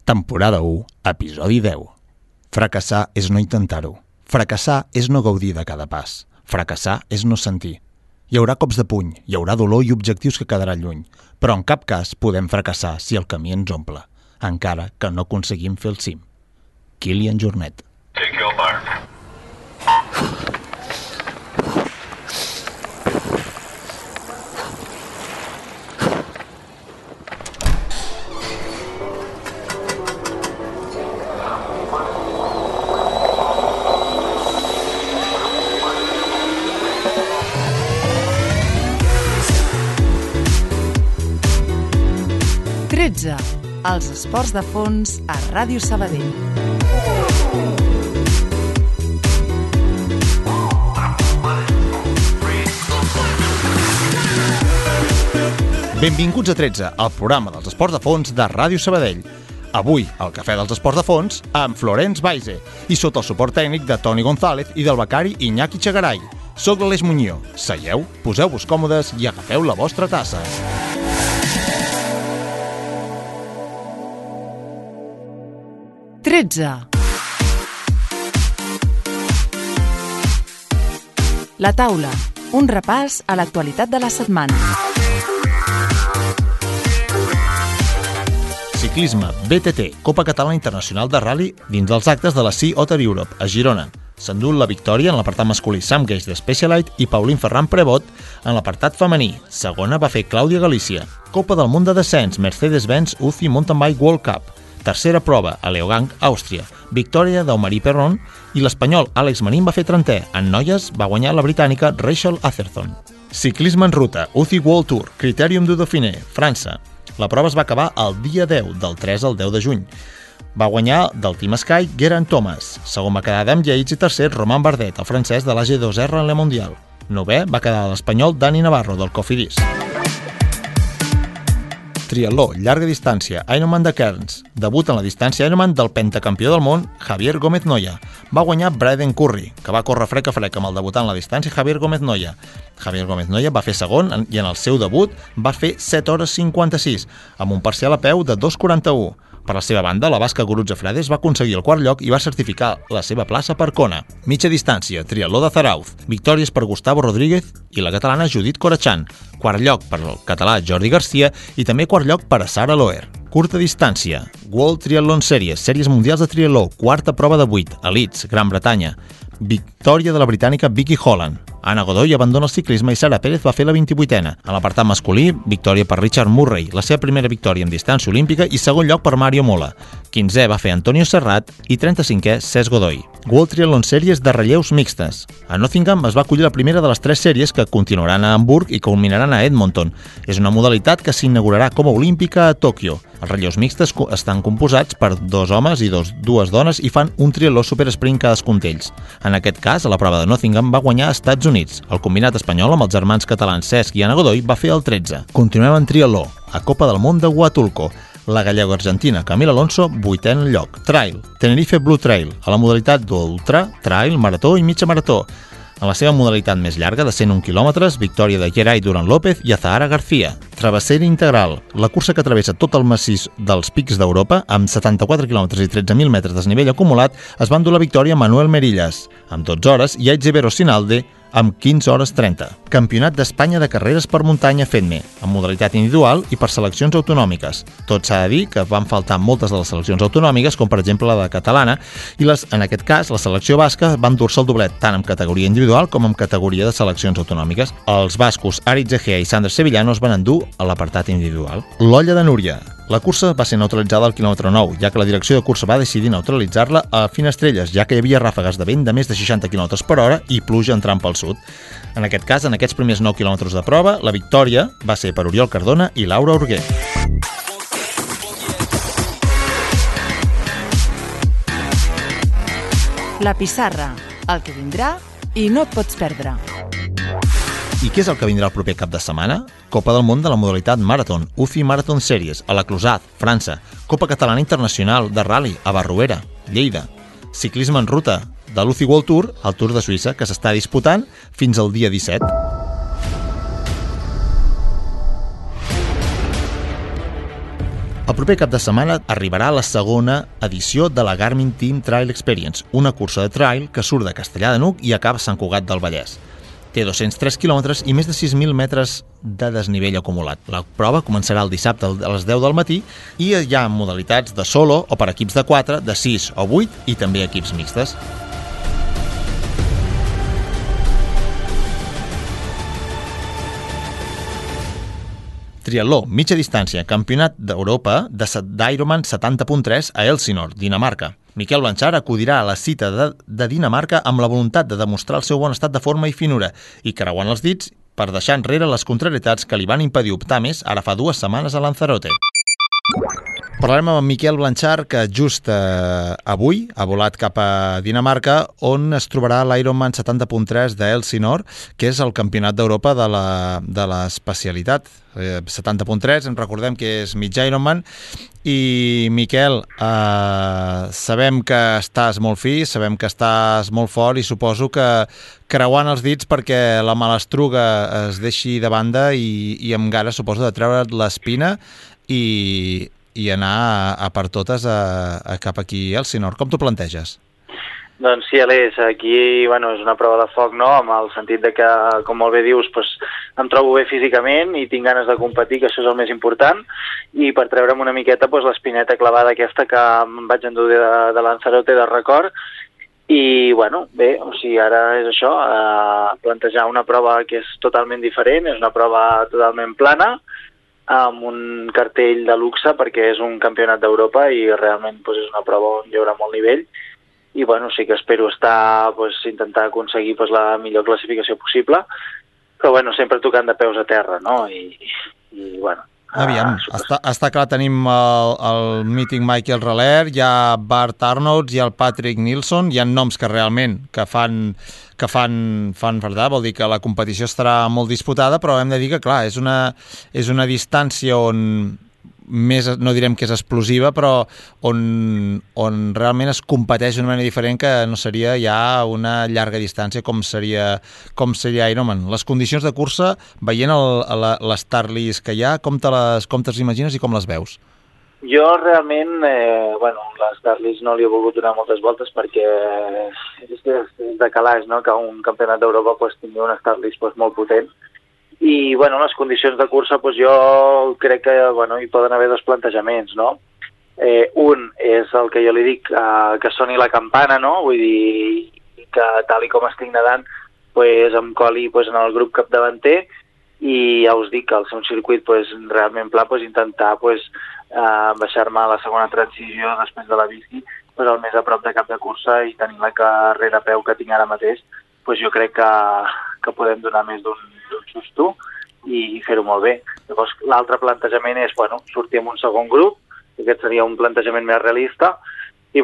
Temporada 1, episodi 10. Fracassar és no intentar-ho. Fracassar és no gaudir de cada pas. Fracassar és no sentir. Hi haurà cops de puny, hi haurà dolor i objectius que quedaran lluny, però en cap cas podem fracassar si el camí ens omple, encara que no aconseguim fer el cim. Kilian Jornet. Take your mark. 13. Els esports de fons a Ràdio Sabadell. Benvinguts a 13, el programa dels esports de fons de Ràdio Sabadell. Avui, al Cafè dels Esports de Fons, amb Florence Baise i sota el suport tècnic de Toni González i del becari Iñaki Chagaray. Soc l'Aleix Muñoz. Seieu, poseu-vos còmodes i agafeu la vostra tassa. La taula, un repàs a l'actualitat de la setmana. Ciclisme, BTT, Copa Catalana Internacional de Rally dins dels actes de la Sea Otter Europe, a Girona. S'endú la victòria en l'apartat masculí Sam Gage de Specialized i Pauline Ferran Prevot en l'apartat femení. Segona va fer Clàudia Galícia. Copa del Món de Descens, Mercedes-Benz UCI Mountain Bike World Cup. Tercera prova, a Leogang, Àustria. Victòria d'Aumarie Perron i l'espanyol Àlex Marín va fer 30è. En noies va guanyar la britànica Rachel Atherton. Ciclisme en ruta, UCI World Tour, Critérium du Dauphiné, França. La prova es va acabar el dia 10, del 3 al 10 de juny. Va guanyar del Team Sky Geraint Thomas. Segon va quedar Adam Yates i tercer Romain Bardet, el francès de l'AG2R en Le Mondial. Novè va quedar l'espanyol Dani Navarro, del Cofidis. Triatló, llarga distància, Ironman de Cairns. Debut en la distància Ironman del pentacampió del món, Javier Gómez Noya. Va guanyar Braden Curry, que va córrer frec a frec amb el debutant en la distància Javier Gómez Noya. Javier Gómez Noya va fer segon i en el seu debut va fer 7 hores 56, amb un parcial a peu de 2:41. Per la seva banda, la basca Gurutze Frades va aconseguir el quart lloc i va certificar la seva plaça per Kona. Mitja distància, triatló de Zarauz. Victòries per Gustavo Rodríguez i la catalana Judit Corachan. Quart lloc per el català Jordi Garcia i també quart lloc per a Sara Loer. Curta distància, World Triathlon Series, sèries mundials de triatló, quarta prova de 8, a Leeds, Gran Bretanya. Victòria de la britànica Vicky Holland. Anna Godoy abandona el ciclisme i Sara Pérez va fer la 28a. En l'apartat masculí, victòria per Richard Murray, la seva primera victòria en distància olímpica i segon lloc per Mario Mola. 15è va fer Antonio Serrat i 35è Cesc Godoy. World Triathlon Series de relleus mixtes. A Nottingham es va acollir la primera de les 3 sèries que continuaran a Hamburg i culminaran a Edmonton. És una modalitat que s'inaugurarà com a olímpica a Tòquio. Els relleus mixtes estan composats per 2 homes i 2 dones i fan un triatló supersprint cadascun d'ells. En aquest cas, a la prova de Nottingham va guanyar als Estats Units. El combinat espanyol amb els germans catalans Cesc i Anna Godoy va fer el 13. Continuem en triatló, a Copa del Món de Huatulco. La gallego-argentina Camila Alonso, 8è en lloc. Trail, Tenerife Blue Trail, a la modalitat d'ultra, trail, marató i mitja marató. En la seva modalitat més llarga, de 101 quilòmetres, victòria de Geray Durán López i Azahara García. Travessera integral, la cursa que travessa tot el massís dels pics d'Europa, amb 74 quilòmetres i 13.000 metres de desnivell acumulat, es va endur la victòria Manuel Merillas, amb 12 hores, i Aitziber Sinalde, amb 15 hores 30. Campionat d'Espanya de carreres per muntanya FEDME, amb modalitat individual i per seleccions autonòmiques. Tot s'ha de dir que van faltar moltes de les seleccions autonòmiques, com per exemple la de catalana, i en aquest cas la selecció basca va endur-se el doblet tant en categoria individual com en categoria de seleccions autonòmiques. Els bascos Aritz Egea i Sander Sevillano es van endur a l'apartat individual. L'Olla de Núria. La cursa va ser neutralitzada al quilòmetre 9, ja que la direcció de cursa va decidir neutralitzar-la a Finestrelles, ja que hi havia ràfegues de vent de més de 60 km per hora i pluja entrant pel sud. En aquest cas, en aquests primers 9 quilòmetres de prova, la victòria va ser per Oriol Cardona i Laura Urguer. La pissarra, el que vindrà i no et pots perdre. I què és el que vindrà el proper cap de setmana? Copa del Món de la modalitat Marathon, UCI Marathon Series, a la Clusaz, França. Copa Catalana Internacional de Rally, a Barruera, Lleida. Ciclisme en ruta, de l'UCI World Tour, el Tour de Suïssa, que s'està disputant fins al dia 17. El proper cap de setmana arribarà la segona edició de la Garmin Team Trail Experience, una cursa de trail que surt de Castellar de N'Hug i acaba a Sant Cugat del Vallès. Té 203 quilòmetres i més de 6.000 metres de desnivell acumulat. La prova començarà el dissabte a les 10 del matí i hi ha modalitats de solo o per equips de 4, de 6 o 8 i també equips mixtes. Triatló, mitja distància, campionat d'Europa d'Ironman 70.3 a Elsinore, Dinamarca. Miquel Blanchard acudirà a la cita de Dinamarca amb la voluntat de demostrar el seu bon estat de forma i finura i creuant els dits per deixar enrere les contrarietats que li van impedir optar més ara fa 2 setmanes a Lanzarote. Parlarem amb Miquel Blanchard, que just avui ha volat cap a Dinamarca, on es trobarà l'Ironman 70.3 d'Elsinore, que és el campionat d'Europa de l'especialitat. 70.3, en recordem que és mig Ironman. I, Miquel, sabem que estàs molt fi, sabem que estàs molt fort i suposo que creuant els dits perquè la malastruga es deixi de banda i amb ganes, suposo, de treure't l'espina i anar a per totes cap aquí a Elsinore. Com t'ho planteges? Doncs sí, Aleix, aquí és una prova de foc, no? Amb el sentit de que, com molt bé dius, em trobo bé físicament i tinc ganes de competir, que això és el més important, i per treure'm una miqueta l'espineta clavada aquesta que em vaig endur de Lanzarote de record. I, bé, ara és això, plantejar una prova que és totalment diferent, és una prova totalment plana, amb un cartell de luxe perquè és un campionat d'Europa i realment és una prova on hi haurà molt nivell i sí que espero intentar aconseguir la millor classificació possible, però sempre tocant de peus a terra, no? Aviam, està clar, tenim el mític Michael Reller, hi ha Bart Arnolds, hi ha el Patrick Nilsson, hi ha noms que realment que fan verdad, vol dir que la competició estarà molt disputada, però hem de dir que, clar, és una distància on més, no direm que és explosiva, però on realment es competeix d'una manera diferent que no seria ja una llarga distància com seria Ironman. Les condicions de cursa, veient les Starlist que hi ha, com te les imagines i com les veus? Jo realment, les Starlist no li he volgut donar moltes voltes perquè és de calaix, no?, que un campionat d'Europa tingui una Starlist molt potent. I, les condicions de cursa, jo crec que hi poden haver 2 plantejaments, no? Un és el que jo li dic, que soni la campana, no? Vull dir, que tal i com estic nedant, em coli en el grup capdavanter i ja us dic que al ser un circuit realment pla, intentar baixar-me a la segona transició després de la bici, el més a prop de cap de cursa i tenir la carrera a peu que tinc ara mateix, jo crec que podem donar més d'un susto i fer-ho molt bé. Llavors, l'altre plantejament és, sortir amb un segon grup, aquest seria un plantejament més realista, i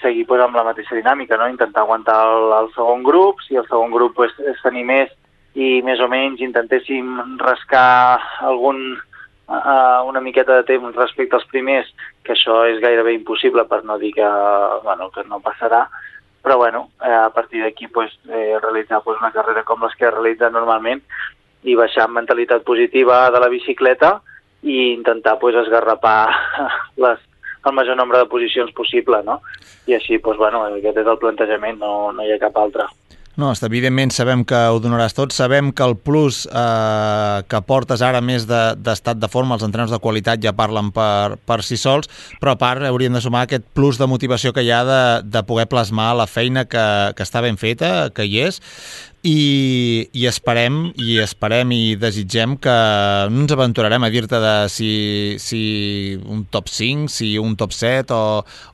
seguir amb la mateixa dinàmica, no? Intentar aguantar el segon grup, si el segon grup és tenir més i més o menys intentéssim rascar una miqueta de temps respecte als primers, que això és gairebé impossible per no dir que no passarà, però a partir d'aquí realitzar una carrera com les que realitza normalment i baixar amb mentalitat positiva de la bicicleta i intentar esgarrapar el major nombre de posicions possible, no? I així, aquest és el plantejament, no hi ha cap altre. No, evidentment sabem que ho donaràs tot, sabem que el plus que portes ara més d'estat de forma, els entrenadors de qualitat ja parlen per si sols, però a part hauríem de sumar aquest plus de motivació que hi ha de poder plasmar la feina que està ben feta, que hi és, i esperem i desitgem que no ens aventurarem a dir-te de si un top 5, si un top 7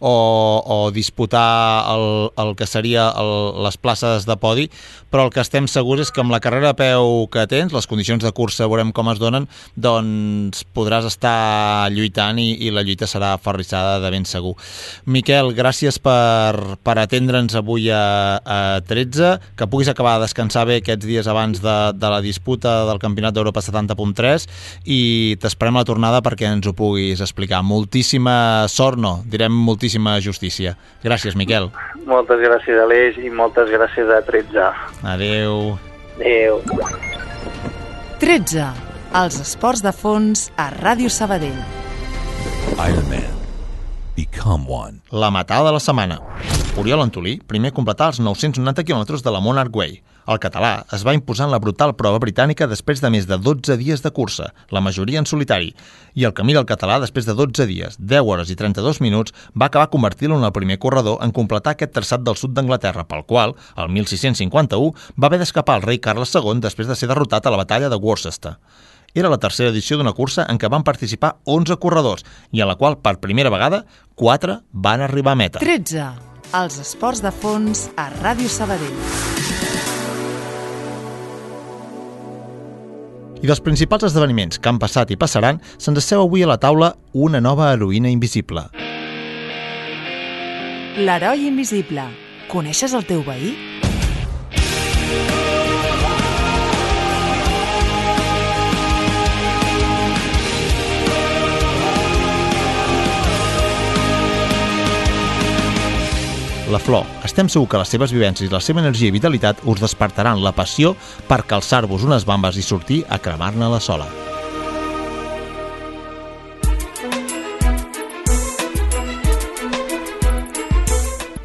o disputar el que seria les places de podi, però el que estem segurs és que amb la carrera a peu que tens, les condicions de cursa veurem com es donen, doncs podràs estar lluitant i la lluita serà aferrissada de ben segur. Miquel, gràcies per atendre'ns avui a 13, que puguis acabar de descansar bé aquests dies abans de la disputa del Campionat d'Europa 70.3 i t'esperem a la tornada perquè ens ho puguis explicar. Moltíssima sort, no, direm moltíssima justícia. Gràcies, Miquel. Moltes gràcies, Aleix, i moltes gràcies a 13. Adéu. Adéu. 13. Els esports de fons a Ràdio Sabadell. Iron Man. Become one. La matada de la setmana. Oriol Antolí primer completà els 990 quilòmetres de la Monarch Way. El català es va imposar en la brutal prova britànica després de més de 12 dies de cursa, la majoria en solitari, i el camí del català, després de 12 dies, 10 hores i 32 minuts, va acabar convertint-lo en el primer corredor en completar aquest traçat del sud d'Anglaterra, pel qual, el 1651, va haver d'escapar el rei Carles II després de ser derrotat a la batalla de Worcester. Era la tercera edició d'una cursa en què van participar 11 corredors i en la qual, per primera vegada, 4 van arribar a meta. 13. Els esports de fons a Ràdio Sabadell. I dels principals esdeveniments que han passat i passaran, se'ns asseu avui a la taula una nova heroïna invisible. L'heroi invisible. Coneixes el teu veí? La Flor. Estem segur que les seves vivències i la seva energia i vitalitat us despertaran la passió per calçar-vos unes bambes i sortir a cremar-ne la sola.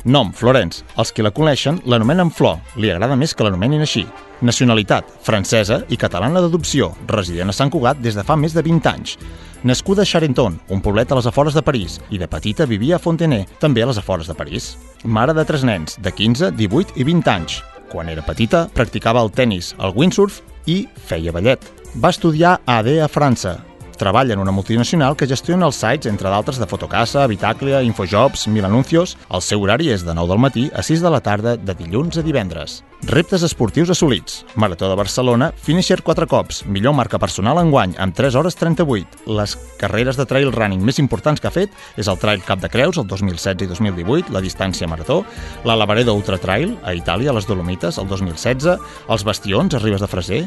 Nom, Florence. Els que la coneixen l'anomenen Flor. Li agrada més que l'anomenin així. Nacionalitat, francesa i catalana d'adopció, resident a Sant Cugat des de fa més de 20 anys. Nascuda a Charenton, un poblet a les afores de París, i de petita vivia a Fontenay, també a les afores de París. Mare de 3 nens, de 15, 18 i 20 anys. Quan era petita, practicava el tennis, el windsurf i feia ballet. Va estudiar AD a França. Treballa en una multinacional que gestiona els sites, entre d'altres, de Fotocasa, Bitaclia, Infojobs, Mil Anuncios. El seu horari és de 9 del matí a 6 de la tarda, de dilluns a divendres. Reptes esportius assolits. Marató de Barcelona, finisher 4 cops, millor marca personal enguany, amb 3 hores 38. Les carreres de trail running més importants que ha fet és el Trail Cap de Creus, el 2016 i 2018, la distància marató, la Lavaredo Ultra Trail, a Itàlia, a les Dolomites, el 2016, els Bastions, a Ribes de Freser,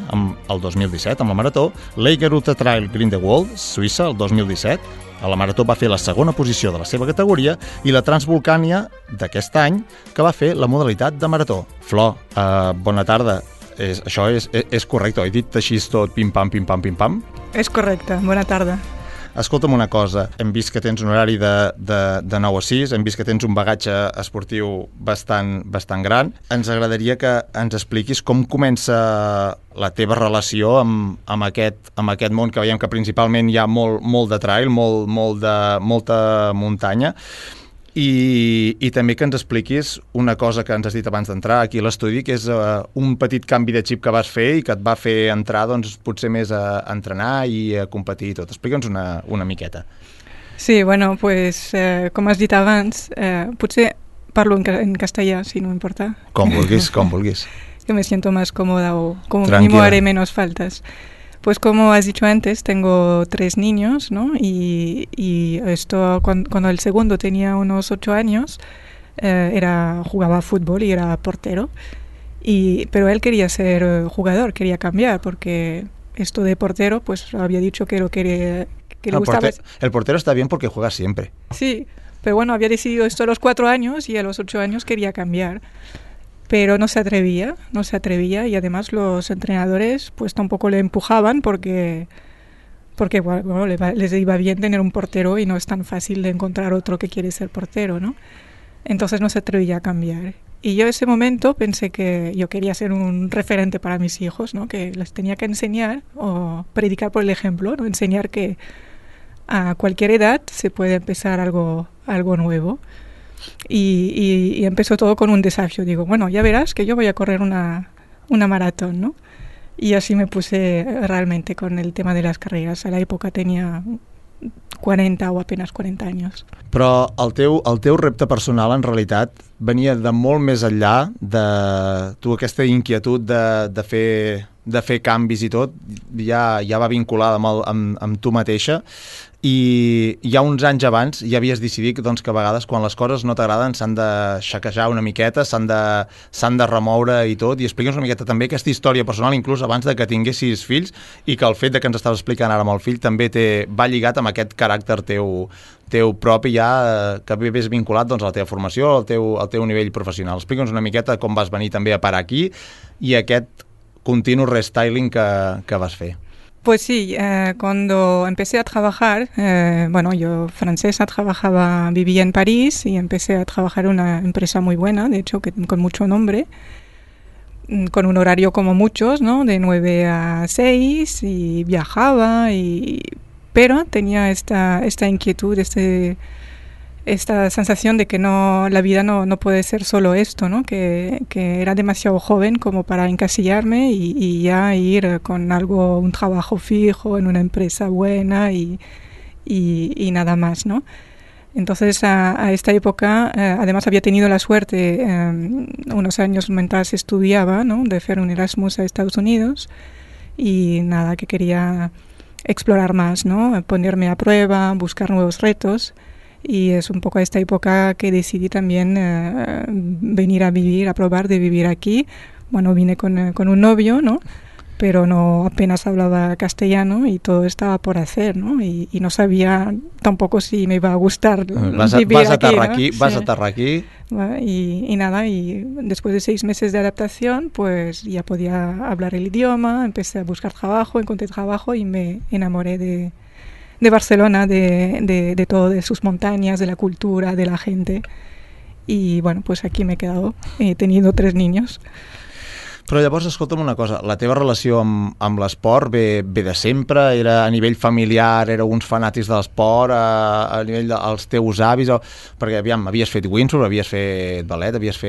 el 2017, amb la marató, l'Eiger Ultra Trail Grindelwald, Suïssa, el 2017. A la marató va fer la segona posició de la seva categoria i la Transvolcània d'aquest any, que va fer la modalitat de marató. Flor, bona tarda. Això és correcte, he dit així tot pim-pam, pim-pam, pim-pam? És correcte, bona tarda. Escolta'm una cosa, hem vist que tens un horari de 9 a 6, hem vist que tens un bagatge esportiu bastant gran. Ens agradaria que ens expliquis com comença la teva relació amb aquest món, que veiem que principalment hi ha molt de trail, molta muntanya, i també que ens expliquis una cosa que ens has dit abans d'entrar aquí a l'estudi, que és un petit canvi de xip que vas fer i que et va fer entrar potser més a entrenar i a competir i tot. Explica'ns una miqueta. Sí, bueno, pues com has dit abans, potser parlo en castellà, si no importa. Com vulguis. Que me siento más cómoda o como mínimo haré menos faltas. Pues como has dicho antes, tengo 3 niños, ¿no? Y esto cuando el segundo tenía unos 8 años, jugaba fútbol y era portero. Pero él quería ser jugador, quería cambiar, porque esto de portero, pues había dicho que le gustaba. El portero está bien porque juega siempre. Sí, pero bueno, había decidido esto a los 4 años y a los 8 años quería cambiar. Pero no se atrevía y además los entrenadores pues tampoco le empujaban porque bueno, les iba bien tener un portero y no es tan fácil de encontrar otro que quiere ser portero, ¿no? Entonces no se atrevía a cambiar. Y yo en ese momento pensé que yo quería ser un referente para mis hijos, ¿no? Que les tenía que enseñar o predicar por el ejemplo, ¿no? Enseñar que a cualquier edad se puede empezar algo nuevo. Y empezó todo con un desafío. Digo, bueno, ya verás que yo voy a correr una maratón, ¿no? Y así me puse realmente con el tema de las carreras. A la època tenia 40 o apenas 40 anys. Però el teu repte personal, en realitat, venia de molt més enllà de tu, aquesta inquietud de fer canvis i tot, ja va vinculada amb tu mateixa, i ja uns anys abans ja havies decidit doncs, que a vegades quan les coses no t'agraden s'han de xaquejar una miqueta, s'han de remoure i tot, i explica'ns una miqueta també aquesta història personal, inclús abans de que tinguessis fills, i que el fet de que ens estaves explicant ara amb el fill també va lligat amb aquest caràcter teu propi ja, que ves vinculat doncs, a la teva formació, al teu nivell professional. Explica'ns una miqueta com vas venir també a parar aquí i aquest continu restyling que vas fer. Pues sí, cuando empecé a trabajar, bueno, yo francesa, vivía en París y empecé a trabajar en una empresa muy buena, de hecho, con mucho nombre, con un horario como muchos, ¿no? De 9 a 6 y viajaba, pero tenía esta inquietud, esta sensación de que la vida no puede ser solo esto, ¿no? Que era demasiado joven como para encasillarme y ya ir con un trabajo fijo en una empresa buena y nada más, ¿no? Entonces a esta época, además había tenido la suerte unos años mientras estudiaba, ¿no? De hacer un Erasmus a Estados Unidos y nada, que quería explorar más, ¿no? Ponerme a prueba, buscar nuevos retos. Y es un poco a esta época que decidí también venir a probar de vivir aquí. Bueno, vine con un novio, ¿no? Pero apenas hablaba castellano y todo estaba por hacer, ¿no? Y no sabía tampoco si me iba a gustar vivir aquí, ¿no? Vas a aterrar aquí. Y nada, y después de 6 meses de adaptación, pues ya podía hablar el idioma, empecé a buscar trabajo, encontré trabajo y me enamoré de Barcelona, de todo, de sus montañas, de la cultura, de la gente. Y bueno, pues aquí me he quedado. He tenido 3 niños. Però llavors, escolta'm una cosa, la teva relació amb l'esport ve de sempre? Era a nivell familiar, éreu uns fanàtics de l'esport, a nivell dels teus avis? Perquè, aviam, havies fet windsurf, havies fet ballet, havies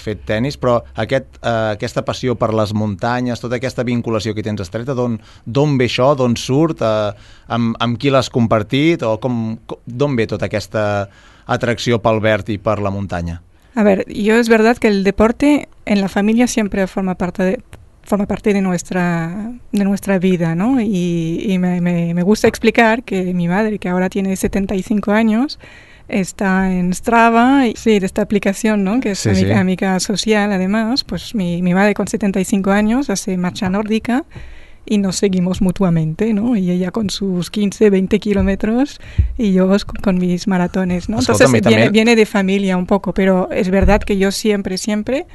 fet tennis, però aquesta passió per les muntanyes, tota aquesta vinculació que tens estreta, d'on ve això? D'on surt? Amb qui l'has compartit? O d'on ve tota aquesta atracció pel verd i per la muntanya? A ver, es verdad que el deporte en la familia siempre forma parte de nuestra vida, ¿no? Y me gusta explicar que mi madre, que ahora tiene 75 años, está en Strava, de esta aplicación, ¿no? Que es amiga social, además. Pues mi madre con 75 años hace marcha nórdica y nos seguimos mutuamente, ¿no? Y ella con sus 15, 20 kilómetros y yo con mis maratones, ¿no? Entonces viene de familia un poco, pero es verdad que yo siempre,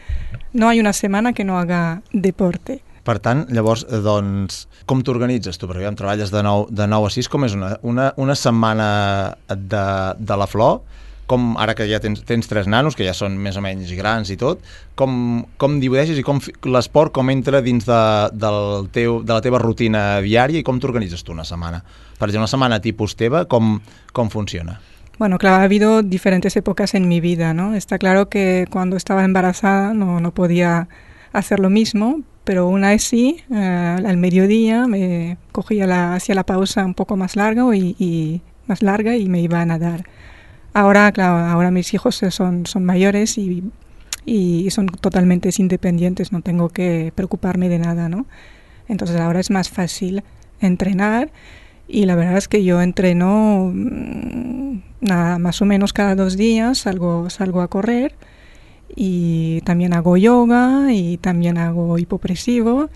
no hay una semana que no haga deporte. Per tant, llavors, doncs, com t'organitzes tu? Perquè treballes de 9 a 6, com és una setmana de la flor? Com, ara que ja tens 3 nanos, que ja són més o menys grans i tot, com divideixes i com l'esport com entra dins de la teva rutina diària i com t'organitzes tu una setmana? Per exemple, una setmana tipus teva, com funciona? Bueno, claro, ha habido diferentes épocas en mi vida, ¿no? Está claro que cuando estaba embarazada no podía hacer lo mismo, pero aún así, al mediodía me hacía la pausa un poco más larga y me iba a nadar. Ahora, claro, ahora mis hijos son mayores y son totalmente independientes, no tengo que preocuparme de nada, ¿no? Entonces ahora es más fácil entrenar y la verdad es que yo entreno más o menos cada 2 días, salgo a correr y también hago yoga y también hago hipopresivo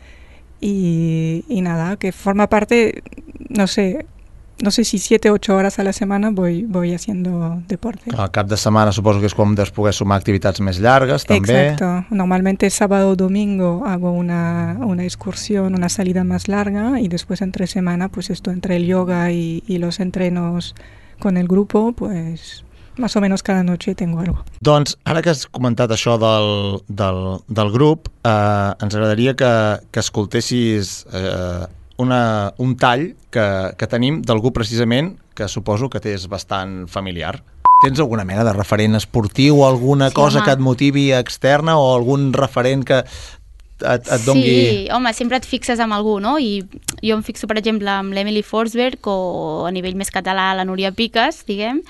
y nada, que forma parte, no sé si 7 o 8 horas a la semana voy haciendo deporte. Al cap de setmana suposo que és quan deus poder sumar activitats més llargues, també. Exacto. Normalmente sábado o domingo hago una excursión, una salida más larga y después entre semana, pues esto entre el yoga y los entrenos con el grupo, pues más o menos cada noche tengo algo. Doncs ara que has comentat això del grup, ens agradaria que escoltessis un tall que tenim d'algú precisament que suposo que t'és bastant familiar. Tens alguna mena de referent esportiu o alguna cosa que et motivi externa o algun referent que et dongui... Sí, home, sempre et fixes amb algú, no? I jo em fixo, per exemple, amb l'Emily Forsberg o a nivell més català la Núria Piques, diguem,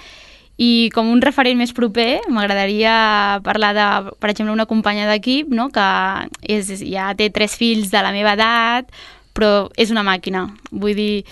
i com un referent més proper m'agradaria parlar de, per exemple, una companya d'equip, no? Que ja té 3 fills de la meva edat, però és una màquina. Vull dir,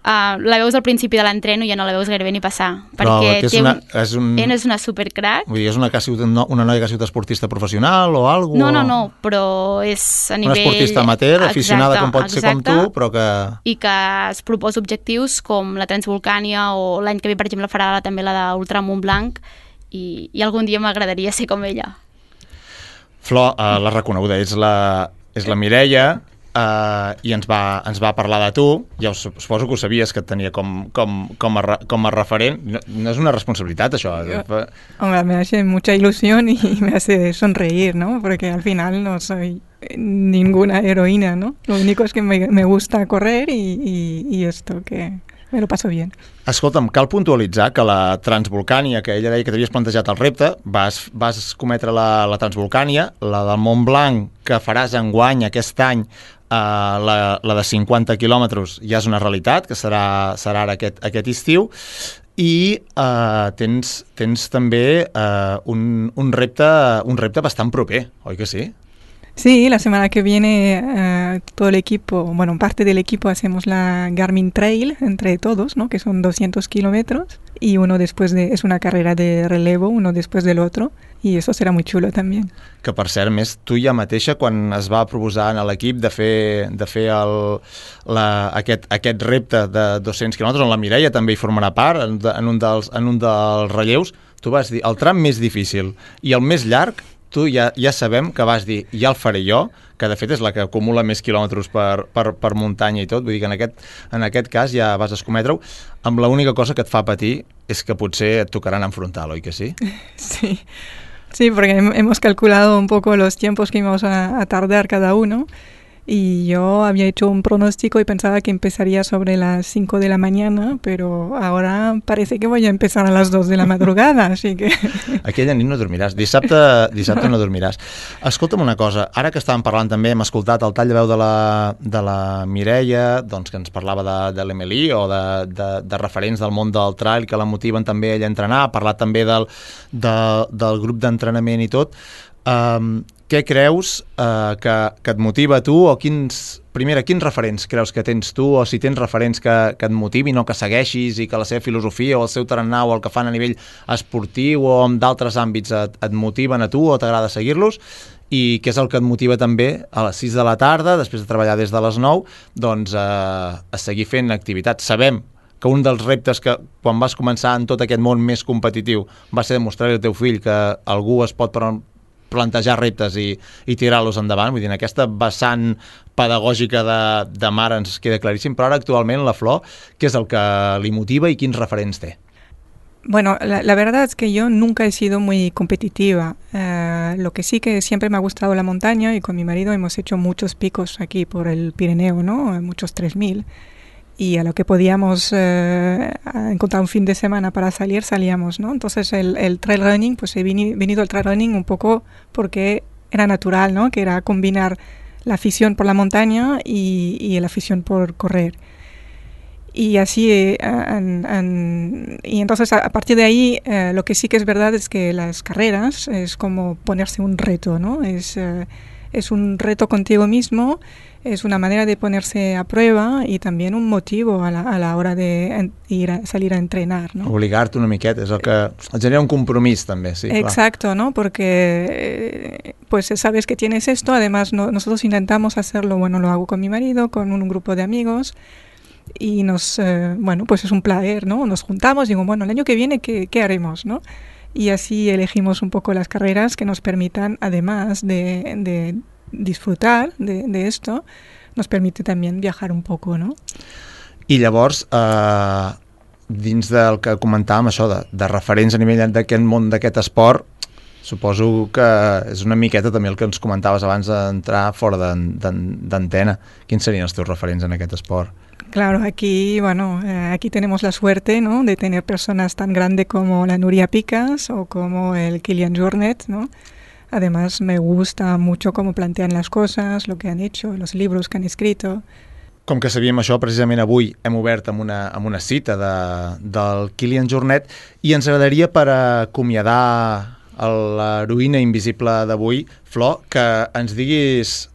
la veus al principi de l'entreno i ja no la veus gairebé ni passar. Però perquè és una supercrack. Vull dir, és una noia que ha sigut esportista professional o alguna cosa? No, però és a nivell... Una esportista amateur, aficionada com pot ser com tu, però que... I que es proposa objectius com la Transvolcània o l'any que ve, per exemple, farà també la d'Ultra Montblanc i algun dia m'agradaria ser com ella. Flor, la reconeguda és la Mireia, i ens va parlar de tu. Ja suposo que ho sabies, que et tenia com a referent. No és una responsabilitat, això. Hombre, me hace mucha ilusión y me hace sonreír, ¿no? Porque al final no soy ninguna heroína, ¿no? Lo único es que me gusta correr y esto, que me lo paso bien. Escolta'm, cal puntualitzar que la Transvolcània, que ella deia que t'havies plantejat el repte, vas cometre la Transvolcània, la del Mont Blanc, que faràs enguany aquest any, la de 50 quilòmetres, ja és una realitat, que serà ara aquest estiu, i tens també un repte bastant proper, oi que sí? Sí, la semana que viene todo el equipo, bueno, parte del equipo hacemos la Garmin Trail entre todos, ¿no? Que son 200 kilómetros y uno después es una carrera de relevo, uno después del otro, y eso será muy chulo también. Que per cert, més, tu ja mateixa, quan es va proposar a l'equip de fer aquest repte de 200 quilòmetres, on la Mireia també hi formarà part, en un dels relleus, tu vas dir, el tram més difícil i el més llarg, tu ja sabem que vas dir, ja el faré jo, que de fet és la que acumula més quilòmetres per muntanya i tot, vull dir que en aquest cas ja vas escometre-ho, amb l'única cosa que et fa patir és que potser et tocaran enfrontar, oi que sí? Sí, porque hemos calculado un poco los tiempos que íbamos a tardar cada uno. Y yo había hecho un pronóstico y pensaba que empezaría sobre las 5 de la mañana, pero ahora parece que voy a empezar a las 2 de la madrugada, así que... Aquella nit no dormiràs, dissabte no dormiràs. Escolta'm una cosa, ara que estàvem parlant també, hem escoltat el tall de veu de la Mireia, doncs, que ens parlava de l'Emily o de referents del món del trail que la motiven també ella a entrenar, ha parlat també del grup d'entrenament i tot. Què creus que et motiva a tu, o quins referents creus que tens tu, o si tens referents que et motivin o que segueixis i que la seva filosofia o el seu tarannà o el que fan a nivell esportiu o en d'altres àmbits et motiven a tu o t'agrada seguir-los, i què és el que et motiva també a les 6 de la tarda, després de treballar des de les 9, doncs a seguir fent activitats. Sabem que un dels reptes que quan vas començar en tot aquest món més competitiu va ser demostrar-li al teu fill que algú es pot plantejar reptes i tirar-los endavant, vull dir, en aquesta vessant pedagògica de mare ens queda claríssim, però ara actualment la Flor, què és el que li motiva i quins referents té? Bueno, la verdad es que yo nunca he sido muy competitiva. Lo que sí que siempre me ha gustado la montaña y con mi marido hemos hecho muchos picos aquí por el Pirineo, ¿no? Muchos 3000. Y a lo que podíamos encontrar un fin de semana para salir, salíamos, ¿no? Entonces el trail running, pues he venido al trail running un poco porque era natural, ¿no? Que era combinar la afición por la montaña y la afición por correr. Y así, y entonces a partir de ahí, lo que sí que es verdad es que las carreras es como ponerse un reto, ¿no? Es un reto contigo mismo, es una manera de ponerse a prueba y también un motivo a la hora de salir a entrenar, ¿no? Obligar-te una miqueta, és el que genera un compromís també, sí. Exacto, clar. ¿no? Porque pues sabes que tienes esto, además nosotros intentamos hacerlo, bueno, lo hago con mi marido, con un grupo de amigos y bueno, pues es un placer, ¿no? Nos juntamos y digo, bueno, el año que viene, ¿qué haremos, no? Y así elegimos un poco las carreras que nos permitan, además de disfrutar de esto, nos permite también viajar un poco, ¿no? I llavors, dins del que comentàvem, això de referents a nivell d'aquest món, d'aquest esport, suposo que és una miqueta també el que ens comentaves abans d'entrar fora d'antena. Quins serien els teus referents en aquest esport? Claro, aquí tenemos la suerte, ¿no? De tener personas tan grandes como la Núria Picas o como el Kilian Jornet, ¿no? Además, me gusta mucho cómo plantean las cosas, lo que han hecho, los libros que han escrito. Com que sabíem això, precisament avui hem obert amb una cita del Kilian Jornet i ens agradaria, per acomiadar l'heroïna invisible d'avui, Flor, que ens diguis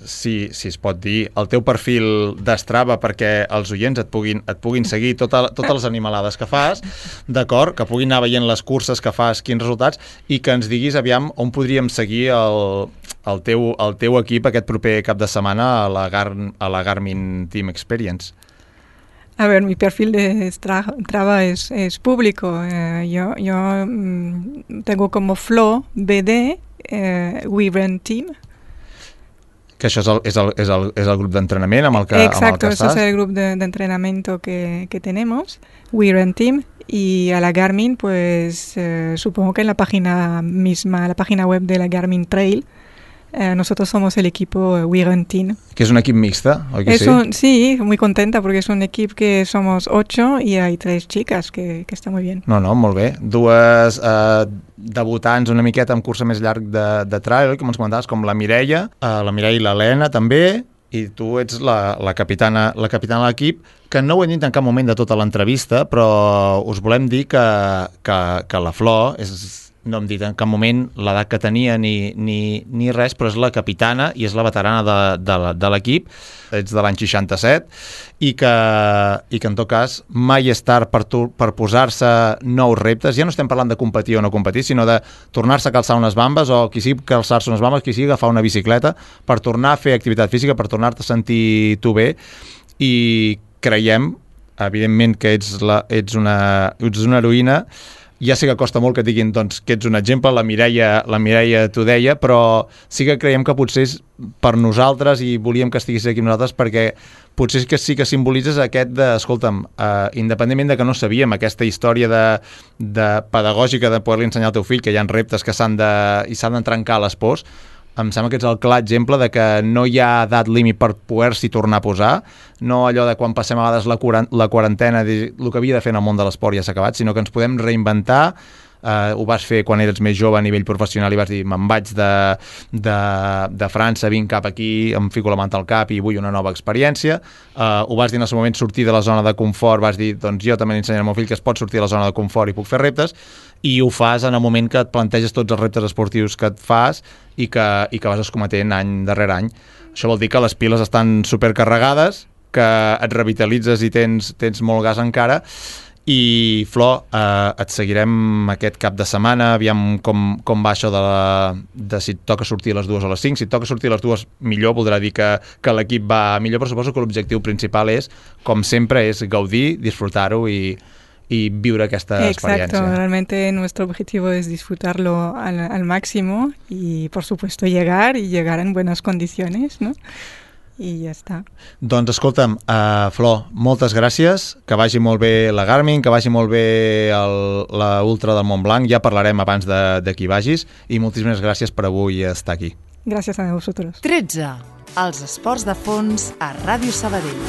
si es pot dir, el teu perfil d'Strava perquè els oients et puguin seguir totes les animalades que fas, d'acord? Que puguin anar veient les curses que fas, quins resultats, i que ens diguis, aviam, on podríem seguir el teu equip aquest proper cap de setmana a la Garmin Team Experience. A ver, mi perfil de Strava es público. Yo tengo como Flo BD We Run Team. Que això és el grup d'entrenament amb el que Exacto, amb el que estàs? Eso es el grupo de entrenamiento que tenemos, We Run Team, y a la Garmin, pues supongo que en la página misma, la página web de la Garmin Trail, nosotros somos el equipo We Run Team. Que és un equip mixte, oi que sí? Sí, muy contenta porque es un equipo que somos 8 y hay 3 chicas, que está muy bien. No, molt bé. Dues debutants una miqueta amb cursa més llarg de trail, com ens comentaves, com la Mireia i l'Helena també, i tu ets la capitana de l'equip, que no ho he dit en cap moment de tota l'entrevista, però us volem dir que la Flor no hem dit en cap moment l'edat que tenia ni res, però és la capitana i és la veterana de l'equip. Ets de l'any 67 i que en tot cas mai és tard per posar-se nous reptes. Ja no estem parlant de competir o no competir, sinó de tornar-se a calçar unes bambes, o qui sigui calçar-se unes bambes, qui sigui agafar una bicicleta per tornar a fer activitat física, per tornar-te a sentir tu bé. I creiem, evidentment, que ets una heroïna. Ja sé que costa molt que et diguin doncs, que ets un exemple, la Mireia t'ho deia, però sí que creiem que potser és per nosaltres, i volíem que estiguis aquí amb nosaltres, perquè potser sí que simbolitzes aquest de, escolta'm, independentment de que no sabíem aquesta història de pedagògica de poder-li ensenyar al teu fill que hi ha reptes que s'han d'entrencar les pors, em sembla que ets el clar exemple de que no hi ha edat límit per poder-s'hi tornar a posar, no allò de quan passem a vegades la quarantena, el que havia de fer en el món de l'esport ja s'ha acabat, sinó que ens podem reinventar. Ho vas fer quan eres més jove a nivell professional i vas dir, me'n vaig de França, vinc cap aquí, em fico la manta al cap i vull una nova experiència. Ho vas dir en el seu moment, sortir de la zona de confort, vas dir, doncs jo també l'ensenyaré al meu fill que es pot sortir de la zona de confort i puc fer reptes, i ho fas en el moment que et planteges tots els reptes esportius que et fas i que vas escometent any darrere any. Això vol dir que les piles estan supercarregades, que et revitalitzes i tens molt gas encara. I Flor, et seguirem aquest cap de setmana, aviam com va això de si et toca sortir a les 2 o a les 5. Si et toca sortir a les 2 millor, voldrà dir que l'equip va millor, però suposo que l'objectiu principal és, com sempre, és gaudir, disfrutar-ho i viure aquesta experiencia. Exacto, realmente nuestro objetivo es disfrutarlo al máximo y, por supuesto, llegar en buenas condiciones, ¿no? I ja està. Doncs escolta'm, Flor, moltes gràcies, que vagi molt bé la Garmin, que vagi molt bé la Ultra del Montblanc, ja parlarem abans de qui vagis, i moltíssimes gràcies per avui estar aquí. Gràcies a vosaltres. 13. Els esports de fons a Ràdio Sabadell.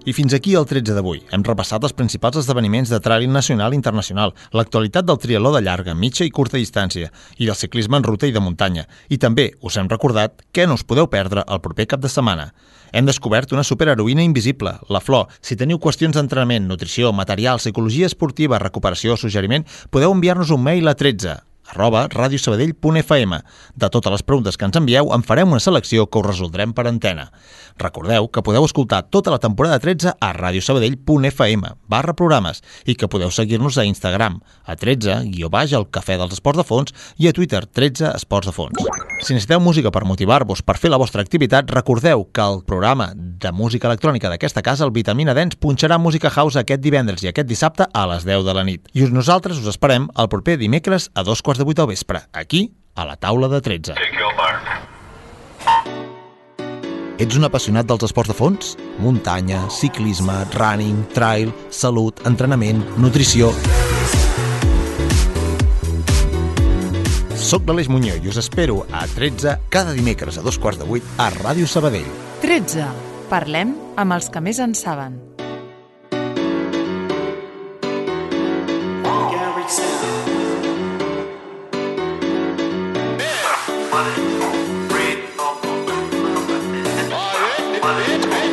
I fins aquí el 13 d'avui. Hem repassat els principals esdeveniments de trail nacional i internacional, l'actualitat del triatló de llarga, mitja i curta distància, i del ciclisme en ruta i de muntanya. I també us hem recordat què no us podeu perdre el proper cap de setmana. Hem descobert una superheroïna invisible, la Flor. Si teniu qüestions d'entrenament, nutrició, material, psicologia esportiva, recuperació o suggeriment, podeu enviar-nos un mail a 13@radiosabadell.fm. De totes les preguntes que ens envieu, en farem una selecció que us resoldrem per antena. Recordeu que podeu escoltar tota la temporada 13 a radiosabadell.fm/programes i que podeu seguir-nos a Instagram, a 13_ el Cafè dels Esports de Fons, i a Twitter, 13 Esports de Fons. Si necessiteu música per motivar-vos per fer la vostra activitat, recordeu que el programa de música electrònica d'aquesta casa, el Vitamina Dance, punxarà música house aquest divendres i aquest dissabte a les 10 de la nit. I nosaltres us esperem el proper dimecres a 2:15 del vespre, aquí, a la taula de 13. Ets un apassionat dels esports de fons? Muntanya, ciclisme, running, trail, salut, entrenament, nutrició... Soc l'Aleix Muñoz i us espero a 13 cada dimecres a 2:15 a Ràdio Sabadell. 13. Parlem amb els que més en saben. Hey!